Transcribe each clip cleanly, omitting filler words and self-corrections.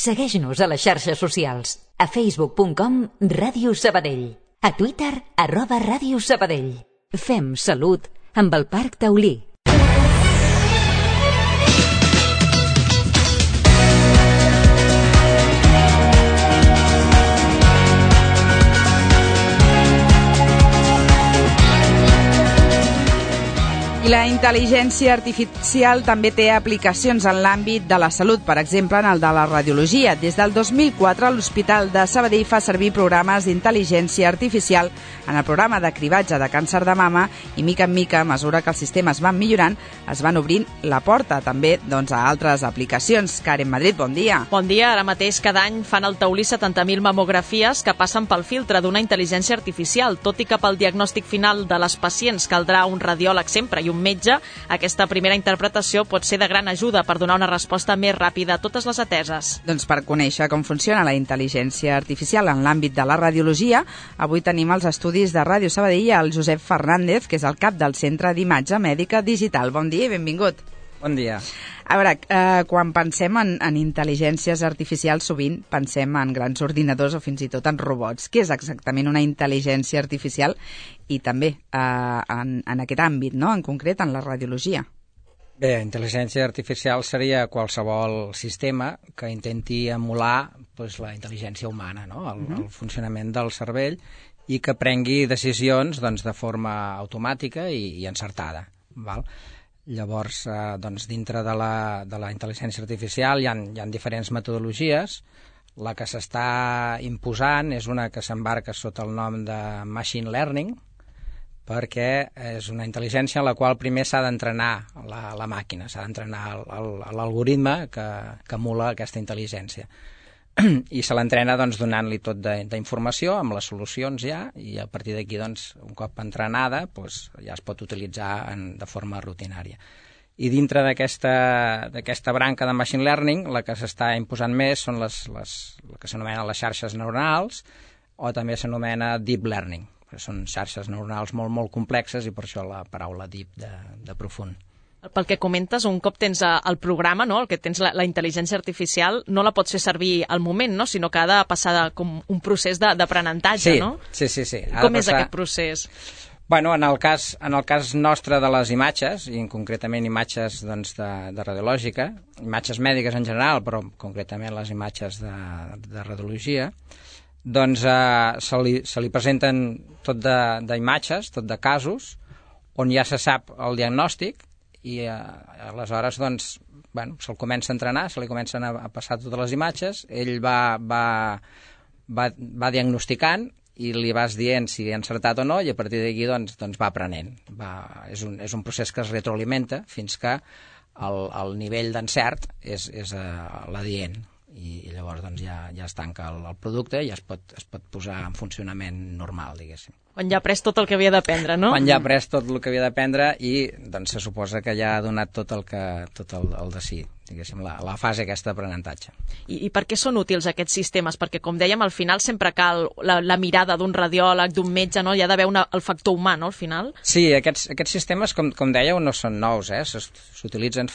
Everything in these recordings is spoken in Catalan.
Segueix-nos a les xarxes socials. A facebook.com/Ràdio Sabadell. A Twitter @Ràdio Sabadell. Fem salut amb el Parc Taulí. La intel·ligència artificial també té aplicacions en l'àmbit de la salut, per exemple, en el de la radiologia. Des del 2004, l'Hospital de Sabadell fa servir programes d'intel·ligència artificial en el programa de cribatge de càncer de mama i, mica en mica, a mesura que els sistemes van millorant, es van obrint la porta també a altres aplicacions. Karen Madrid, bon dia. Bon dia. Ara mateix cada any fan al Taulí 70.000 mamografies que passen pel filtre d'una intel·ligència artificial. Tot i que pel diagnòstic final de les pacients caldrà un radiòleg sempre i un metge, aquesta primera interpretació pot ser de gran ajuda per donar una resposta més ràpida a totes les ateses. Doncs per conèixer com funciona la intel·ligència artificial en l'àmbit de la radiologia, avui tenim als estudis de Ràdio Sabadell el Josep Fernández, que és el cap del Centre d'Imatge Mèdica Digital. Bon dia i benvingut. Bon dia. A veure, quan pensem en intel·ligències artificials, sovint pensem en grans ordinadors o fins i tot en robots. Què és exactament una intel·ligència artificial i també en aquest àmbit, no? En concret, en la radiologia? Bé, intel·ligència artificial seria qualsevol sistema que intenti emular la intel·ligència humana, no? El funcionament del cervell i que prengui decisions de forma automàtica i encertada, val? Llavors, dintre de la intel·ligència artificial hi ha diferents metodologies. La que s'està imposant és una que s'embarca sota el nom de Machine Learning, perquè és una intel·ligència en la qual primer s'ha d'entrenar la màquina, s'ha d'entrenar l'algoritme que emula aquesta intel·ligència. I se l'entrena donant-li tot d'informació amb les solucions ja, i a partir d'aquí, un cop entrenada, ja es pot utilitzar de forma rutinària. I dintre d'aquesta branca de Machine Learning, la que s'està imposant més són les que s'anomenen les xarxes neuronals, o també s'anomena Deep Learning. Són xarxes neuronals molt, molt complexes i per això la paraula deep, de profund. Pel que comentes, un cop tens el programa, no? El que tens la intel·ligència artificial, no la pots fer servir al moment, no? Sinó que ha de passar com un procés d'aprenentatge, sí, no? Sí. Com és aquest procés? Bueno, en el cas nostre de les imatges, i concretament imatges de radiològica, imatges mèdiques en general, però concretament les imatges de radiologia, se li presenten tot d'imatges, tot de casos, on ja se sap el diagnòstic, i aleshores se'l comença a entrenar, se li comencen a passar totes les imatges, ell va diagnosticant i li vas dient si ha encertat o no, i a partir d'aquí va aprenent. És un procés que es retroalimenta fins que el nivell d'encert és l'adient, i llavors ja es tanca el producte i es pot posar en funcionament normal, diguéssim. Quan ja ha après tot el que havia d'aprendre, no? Quan ja ha après tot el que havia d'aprendre i se suposa que ja ha donat tot el de si, diguéssim, la fase aquesta d'aprenentatge. I per què són útils aquests sistemes? Perquè, com dèiem, al final sempre cal la mirada d'un radiòleg, d'un metge, no? Hi ha d'haver el factor humà, no?, al final. Sí, aquests sistemes, com dèieu, no són nous, s'utilitzen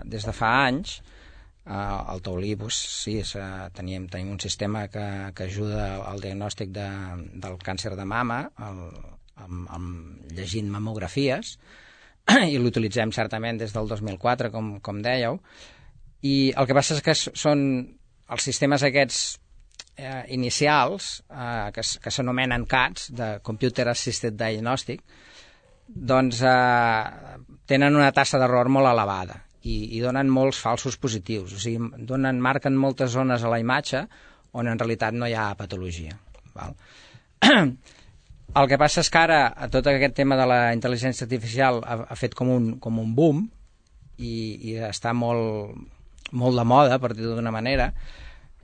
des de fa anys. Al Taulí, sí, tenim un sistema que ajuda al diagnòstic del càncer de mama, llegint mamografies, i l'utilitzem certament des del 2004, com dèieu, i el que passa és que són els sistemes aquests inicials, que s'anomenen CADs, de Computer Assisted Diagnostic, tenen una tassa d'error molt elevada i donen molts falsos positius, o sigui, marquen moltes zones a la imatge on en realitat no hi ha patologia. Val? El que passa és que ara tot aquest tema de la intel·ligència artificial ha fet com un boom i està molt de moda, per dir-ho d'una manera,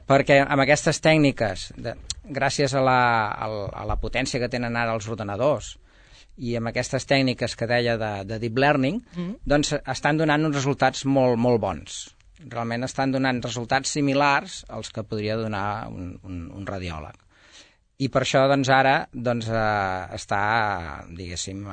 perquè amb aquestes tècniques, gràcies a la potència que tenen ara els ordenadors, i amb aquestes tècniques que deia de Deep Learning, estan donant uns resultats molt, molt bons. Realment estan donant resultats similars als que podria donar un radiòleg. I per això, ara, està, diguéssim,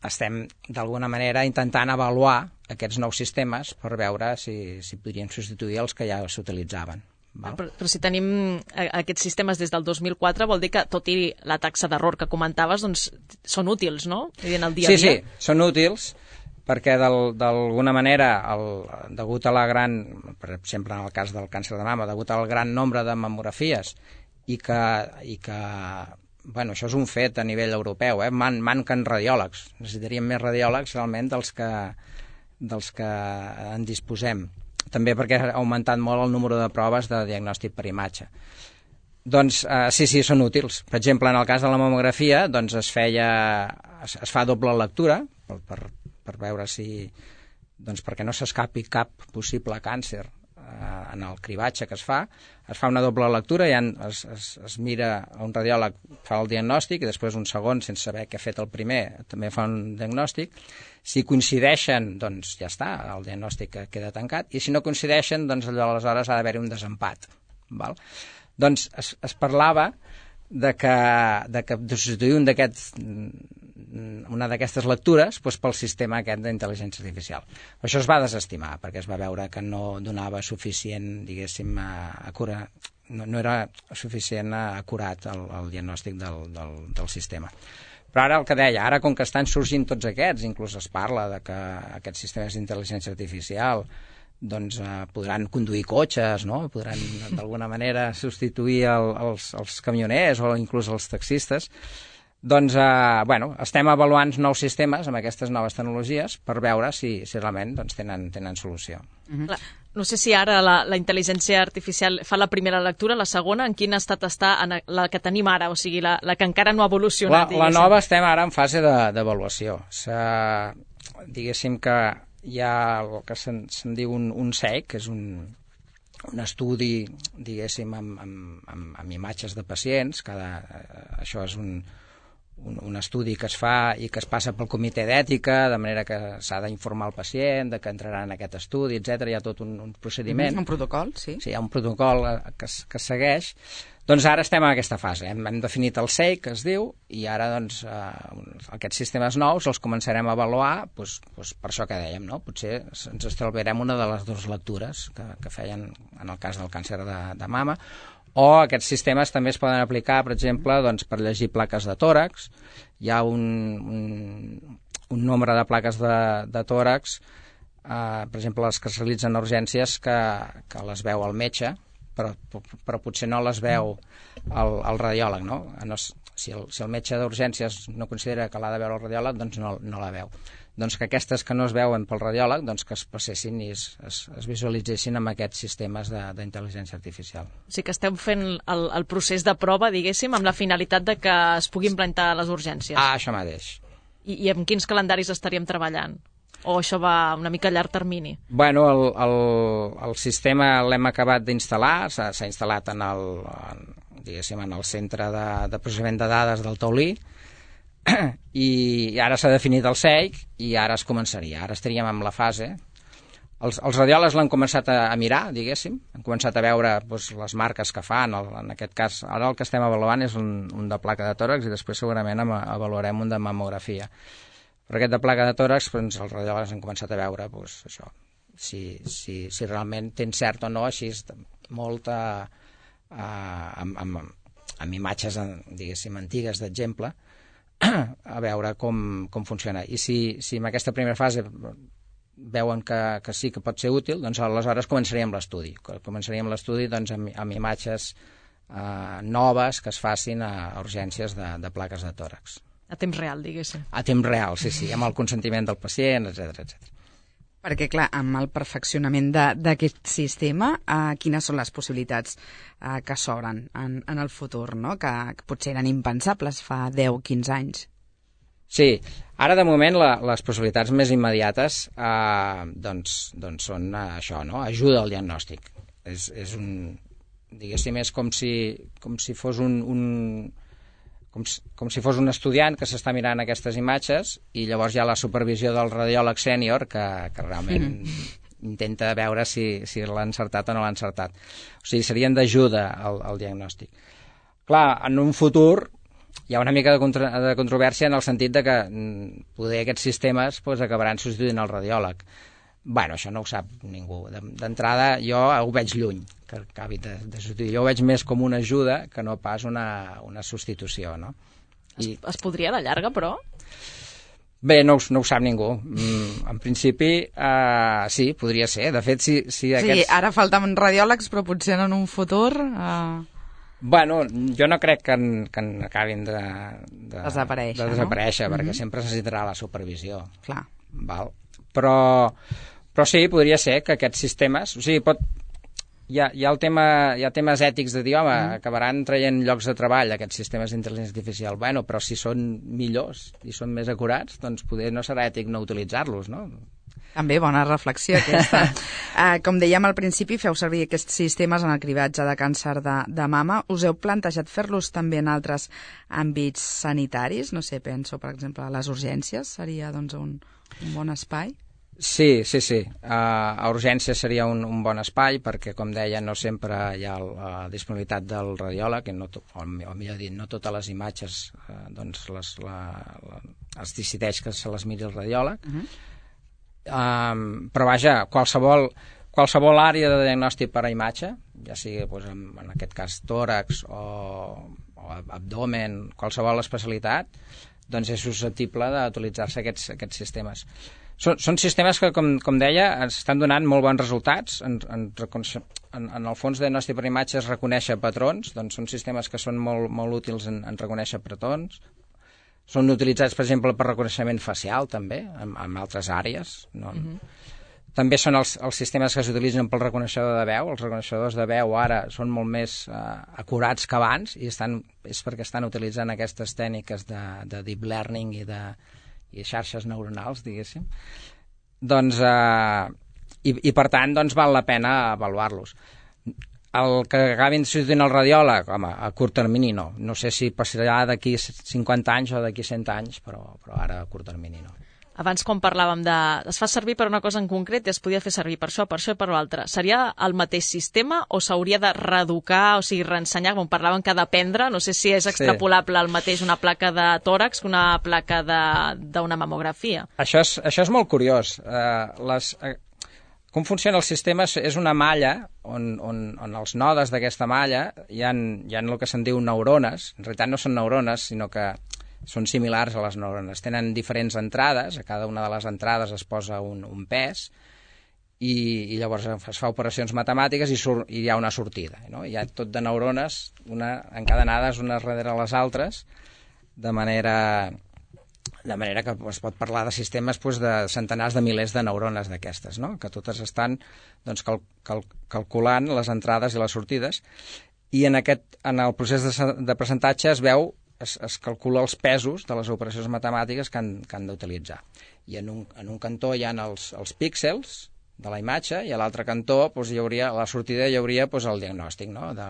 estem d'alguna manera intentant avaluar aquests nous sistemes per veure si podrien substituir els que ja s'utilitzaven. Però si tenim aquests sistemes des del 2004, vol dir que, tot i la taxa d'error que comentaves, doncs són útils, no? En el dia a dia. Sí, són útils, perquè d'alguna manera, degut a la gran, per exemple en el cas del càncer de mama, degut al gran nombre de mamografies i que bueno, això és un fet a nivell europeu, manquen radiòlegs, necessitaríem més radiòlegs realment dels que en disposem. També perquè ha augmentat molt el número de proves de diagnòstic per imatge. Doncs sí, són útils. Per exemple, en el cas de la mamografia, doncs es fa doble lectura per veure si, doncs perquè no s'escapi cap possible càncer en el cribatge que es fa una doble lectura, es mira, un radiòleg fa el diagnòstic i després un segon, sense saber què ha fet el primer, també fa un diagnòstic. Si coincideixen, doncs ja està, el diagnòstic queda tancat, i si no coincideixen, doncs aleshores ha d'haver-hi un desempat. Val? Doncs es parlava de substituir una d'aquestes lectures pel sistema aquest d'intel·ligència artificial. Això es va desestimar, perquè es va veure que no donava suficient, diguéssim, no era suficient acurat el diagnòstic del sistema. Però ara el que deia, ara com que estan sorgint tots aquests, inclús es parla de que aquests sistemes d'intel·ligència artificial doncs podran conduir cotxes, no? Podran d'alguna manera substituir els camioners o inclús els taxistes. Doncs, estem avaluant nous sistemes amb aquestes noves tecnologies per veure si realment tenen solució. No sé si ara la intel·ligència artificial fa la primera lectura, la segona, en quin estat està la que tenim ara, o sigui, la que encara no ha evolucionat? La nova estem ara en fase d'avaluació. Diguéssim que hi ha el que se'n diu un SEIC, que és un estudi, diguéssim, amb imatges de pacients. Això és un estudi que es fa i que es passa pel comitè d'ètica, de manera que s'ha d'informar el pacient, que entrarà en aquest estudi, etc. Hi ha tot un procediment. Un protocol, sí. Sí, hi ha un protocol que es segueix. Doncs ara estem en aquesta fase. Hem definit el SEIC, que es diu, i ara doncs, aquests sistemes nous els començarem a avaluar per això que dèiem, no? Potser ens estalviarem una de les dues lectures que feien en el cas del càncer de mama, o aquests sistemes també es poden aplicar, per exemple, doncs, per llegir plaques de tòrax. Hi ha un nombre de plaques de tòrax, per exemple, les que es realitzen en urgències, que les veu el metge, però potser no les veu el radiòleg, no? Si el metge d'urgències no considera que l'ha de veure el radiòleg, doncs no la veu. Doncs que aquestes que no es veuen pel radiòleg, doncs que es passessin i es visualitzessin amb aquests sistemes d'intel·ligència artificial. O sigui que esteu fent el procés de prova, diguéssim, amb la finalitat de que es pugui implantar a les urgències. Això mateix. I amb quins calendaris estaríem treballant? O això va una mica a llarg termini? Bueno, el sistema l'hem acabat d'instal·lar, s'ha instal·lat en el centre de processament de dades del Taulí, i ara s'ha definit el SEIC i ara es començaria. Ara estaríem en la fase. Els radiòlegs l'han començat a mirar, diguéssim, han començat a veure les marques que fan. En aquest cas, ara el que estem avaluant és un de placa de tòrax i després segurament avaluarem un de mamografia. Però aquest de placa de tòrax, els radiòlegs han començat a veure això, si realment té cert o no, així molt amb imatges, diguéssim, antigues d'exemple, a veure com funciona. I si en aquesta primera fase veuen que sí que pot ser útil, doncs aleshores començaríem l'estudi. Començaríem l'estudi doncs, amb imatges noves que es facin a urgències de plaques de tòrax. A temps real, diguéssim. A temps real, sí, amb el consentiment del pacient, etc. Perquè, clar, amb el perfeccionament d'aquest sistema, quines són les possibilitats que s'obren en el futur, no? Que potser eren impensables fa 10-15 anys? Sí, ara de moment les possibilitats més immediates són això, no? Ajuda al diagnòstic. Diguéssim, és com si fos com si fos un estudiant que s'està mirant aquestes imatges i llavors hi ha la supervisió del radiòleg sènior que realment intenta veure si l'ha encertat o no l'ha encertat. O sigui, serien d'ajuda al diagnòstic. Clar, en un futur hi ha una mica de controvèrsia en el sentit de que poder aquests sistemes acabaran substituint el radiòleg. Bueno, això no ho sap ningú. D'entrada, jo ho veig lluny, que acabi de substituir. Jo ho veig més com una ajuda que no pas una substitució, no? Es podria a la llarga, però? Bé, no ho sap ningú. En principi, sí, podria ser. De fet, si aquests... Sí, ara falten radiòlegs, però potser en un futur... Bueno, jo no crec que acabin de desaparèixer, perquè sempre es necessitarà la supervisió. Clar. Val? Però sí, podria ser que aquests sistemes... O sigui, hi ha temes ètics de dir, home, acabaran traient llocs de treball aquests sistemes d'intel·ligència artificial. Bueno, però si són millors i són més acurats, doncs poder no serà ètic no utilitzar-los, no? També bona reflexió aquesta. Com dèiem al principi, feu servir aquests sistemes en el cribatge de càncer de mama. Us heu plantejat fer-los també en altres àmbits sanitaris? No sé, penso, per exemple, a les urgències seria doncs, un bon espai? Sí. A urgències seria un bon espai perquè, com deia, no sempre hi ha la disponibilitat del radiòleg, o millor dit, no totes les imatges doncs es decideix que se les miri el radiòleg. Però vaja, qualsevol àrea de diagnòstic per a imatge, ja sigui en aquest cas tòrax o abdomen, qualsevol especialitat, doncs és susceptible d'utilitzar-se aquests sistemes. Són sistemes que, com deia, ens estan donant molt bons resultats. En el fons de diagnòstic per imatge es reconèixer patrons, doncs són sistemes que són molt útils en reconèixer patrons. Són utilitzats, per exemple, per reconeixement facial, també, en altres àrees. No? També són els sistemes que s'utilitzen pel reconeixedor de veu. Els reconeixedors de veu ara són molt més acurats que abans i és perquè estan utilitzant aquestes tècniques de deep learning i xarxes neuronals, diguéssim. Doncs, i per tant, doncs, val la pena avaluar-los. El que acabin substituint el radiòleg, home, a curt termini no. No sé si passarà d'aquí 50 anys o d'aquí 100 anys, però ara a curt termini no. Abans, quan parlàvem es fa servir per una cosa en concret i es podia fer servir per això i per l'altra. Seria el mateix sistema o s'hauria de reeducar, o sigui, reensenyar, com parlàvem, que dependre? No sé si és extrapolable el mateix una placa de tòrax que una placa d'una mamografia. Això és molt curiós. Com funciona el sistema és una malla on els nodes d'aquesta malla hi ha el que se'n diu neurones. En realitat no són neurones, sinó que són similars a les neurones. Tenen diferents entrades, a cada una de les entrades es posa un pes i llavors es fa operacions matemàtiques i hi ha una sortida. No? Hi ha tot de neurones, encadenades unes darrere les altres, de manera que es pot parlar de sistemes de centenars de milers de neurones d'aquestes, no? Que totes estan calculant les entrades i les sortides, i en el procés de percentatge es calcula els pesos de les operacions matemàtiques que han d'utilitzar. I en un cantó hi ha els píxels de la imatge i a l'altre cantó a la sortida hi hauria el diagnòstic, no? De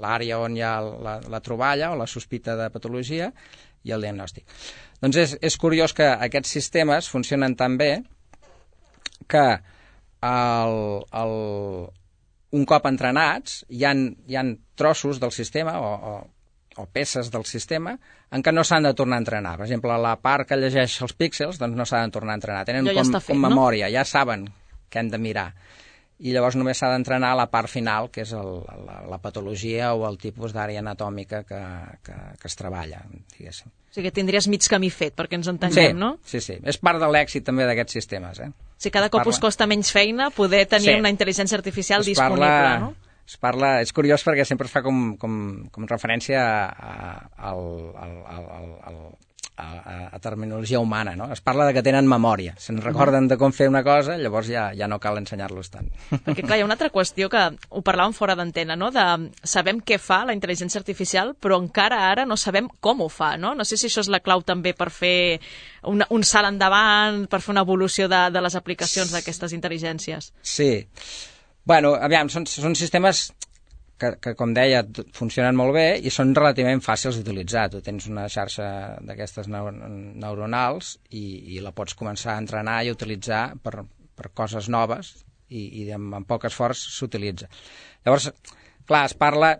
l'àrea on hi ha la troballa o la sospita de patologia i el diagnòstic. Doncs és curiós que aquests sistemes funcionen tan bé que un cop entrenats hi ha trossos del sistema o peces del sistema en què no s'han de tornar a entrenar. Per exemple, la part que llegeix els píxels doncs no s'ha de tornar a entrenar. Tenen com memòria, ja saben què han de mirar. I llavors només s'ha d'entrenar la part final, que és la patologia o el tipus d'àrea anatòmica que es treballa, diguéssim. O sigui que tindries mig camí fet, perquè ens entenguem, no? Sí. És part de l'èxit també d'aquests sistemes. Si cada cop us costa menys feina poder tenir una intel·ligència artificial disponible, no? És curiós perquè sempre es fa com referència a terminologia humana, no? Es parla de que tenen memòria, se'n recorden de com fer una cosa, llavors ja no cal ensenyar-los tant. Perquè clar, hi ha una altra qüestió que ho parlàvem fora d'antena, no? Sabem què fa la intel·ligència artificial, però encara ara no sabem com ho fa, no? No sé si això és la clau també per fer un salt endavant, per fer una evolució de les aplicacions d'aquestes intel·ligències. Sí. Bueno, aviam, són sistemes que, com deia, funcionen molt bé i són relativament fàcils d'utilitzar. Tu tens una xarxa d'aquestes neuronals i la pots començar a entrenar i utilitzar per coses noves i amb poc esforç s'utilitza. Llavors, clar, es parla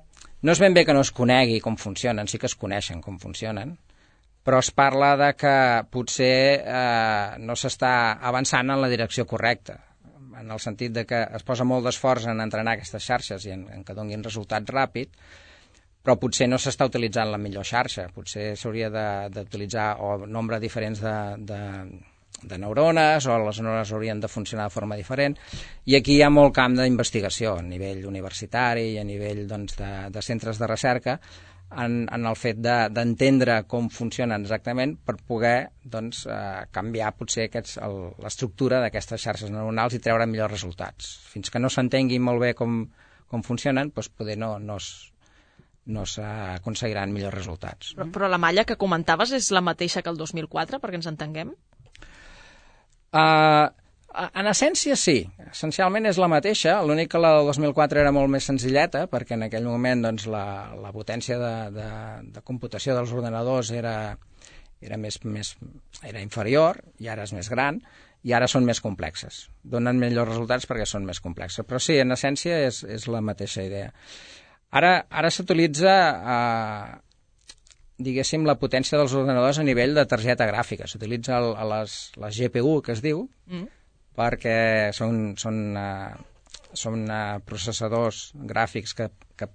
No és ben bé que no es conegui com funcionen, sí que es coneixen com funcionen, però es parla de que potser no s'està avançant en la direcció correcta, en el sentit de que es posa molt d'esforç en entrenar aquestes xarxes i en que donin resultats ràpid, però potser no s'està utilitzant la millor xarxa, potser s'hauria d'utilitzar nombre diferents de neurones, o les neurones haurien de funcionar de forma diferent, i aquí hi ha molt camp d'investigació a nivell universitari i a nivell de centres de recerca en el fet d'entendre com funcionen exactament per poder canviar potser l'estructura d'aquestes xarxes neuronals i treure millors resultats. Fins que no s'entengui molt bé com funcionen, doncs poder no s'aconseguiran millors resultats. Però la malla que comentaves és la mateixa que el 2004, perquè ens entenguem? En essència sí, essencialment és la mateixa, l'únic que la del 2004 era molt més senzilleta, perquè en aquell moment la potència de computació dels ordenadors era inferior, i ara és més gran, i ara són més complexes. Donen millors resultats perquè són més complexes, però sí, en essència és la mateixa idea. Ara s'utilitza diguéssim, la potència dels ordenadors a nivell de targeta gràfica. S'utilitza les GPU, que es diu, perquè són processadors gràfics que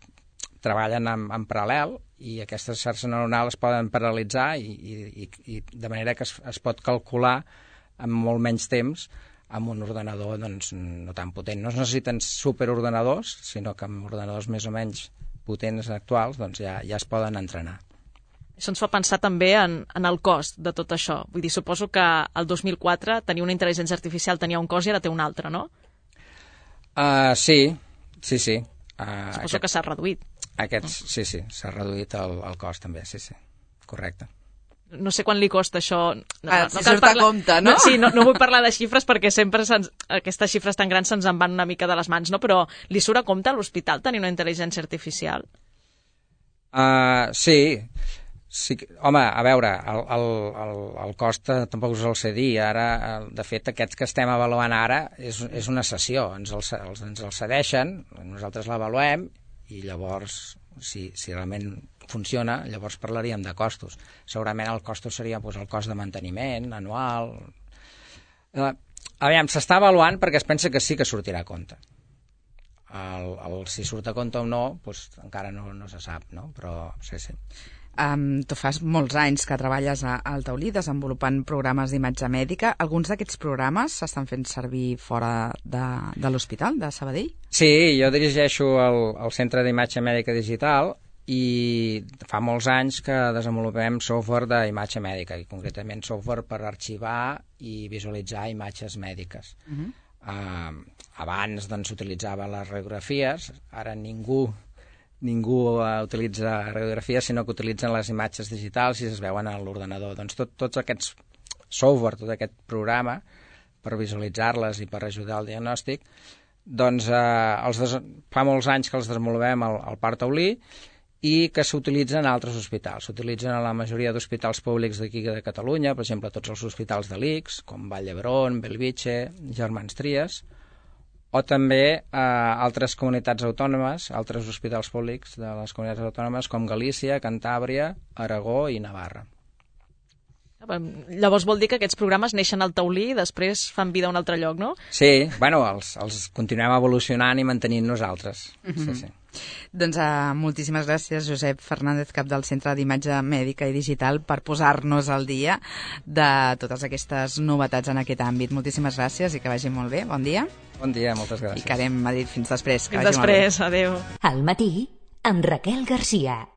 treballen en paral·lel, i aquestes xarxes neuronals es poden paral·lelitzar i de manera que es pot calcular en molt menys temps amb un ordenador no tan potent. No es necessiten superordenadors, sinó que amb ordenadors més o menys potents actuals ja es poden entrenar. Això ens fa pensar també en el cost de tot això. Vull dir, suposo que el 2004 tenir una intel·ligència artificial tenia un cost i ara té un altre, no? Sí. Suposo que s'ha reduït. Sí, s'ha reduït el cost també, sí, correcte. No sé quant li costa això. Si surt a compte, no? Sí, no vull parlar de xifres perquè sempre aquestes xifres tan grans se'ns en van una mica de les mans, no? Però li surt a compte a l'hospital tenir una intel·ligència artificial? Sí, home, a veure, el cost tampoc us el sé dir. Ara, de fet, aquests que estem avaluant ara és una sessió. Ens el cedeixen, nosaltres l'avaluem i llavors, si realment funciona, llavors parlaríem de costos. Segurament el cost seria el cost de manteniment anual. Aviam, s'està avaluant perquè es pensa que sí que sortirà a compte. Si surt a compte o no, encara no se sap, no? Però sí. Tu fas molts anys que treballes al Taulí desenvolupant programes d'imatge mèdica. Alguns d'aquests programes s'estan fent servir fora de l'hospital de Sabadell? Sí, jo dirigeixo el Centre d'Imatge Mèdica Digital i fa molts anys que desenvolupem software d'imatge mèdica, i concretament software per arxivar i visualitzar imatges mèdiques. Abans s'utilitzaven les radiografies, ara ningú utilitza radiografies, sinó que utilitzen les imatges digitals i es veuen a l'ordenador. Doncs tots aquests software, tot aquest programa per visualitzar-les i per ajudar al diagnòstic, doncs fa molts anys que els desenvolupem al Parc Taulí i que s'utilitzen a altres hospitals. S'utilitzen a la majoria d'hospitals públics d'aquí de Catalunya, per exemple, tots els hospitals de l'ICS, com Vall d'Hebron, Bellvitge, Germans Trias, o també altres comunitats autònomes, altres hospitals públics de les comunitats autònomes com Galícia, Cantàbria, Aragó i Navarra. Llavors vol dir que aquests programes neixen al Taulí i després fan vida a un altre lloc, no? Sí, bueno, els continuem evolucionant i mantenint nosaltres. Sí. Doncs moltíssimes gràcies, Josep Fernández, cap del Centre d'Imatge Mèdica i Digital, per posar-nos al dia de totes aquestes novetats en aquest àmbit. Moltíssimes gràcies i que vagi molt bé. Bon dia. Bon dia, moltes gràcies. I quedem a dir fins després. Fins després, adéu. Al matí, amb Raquel Garcia.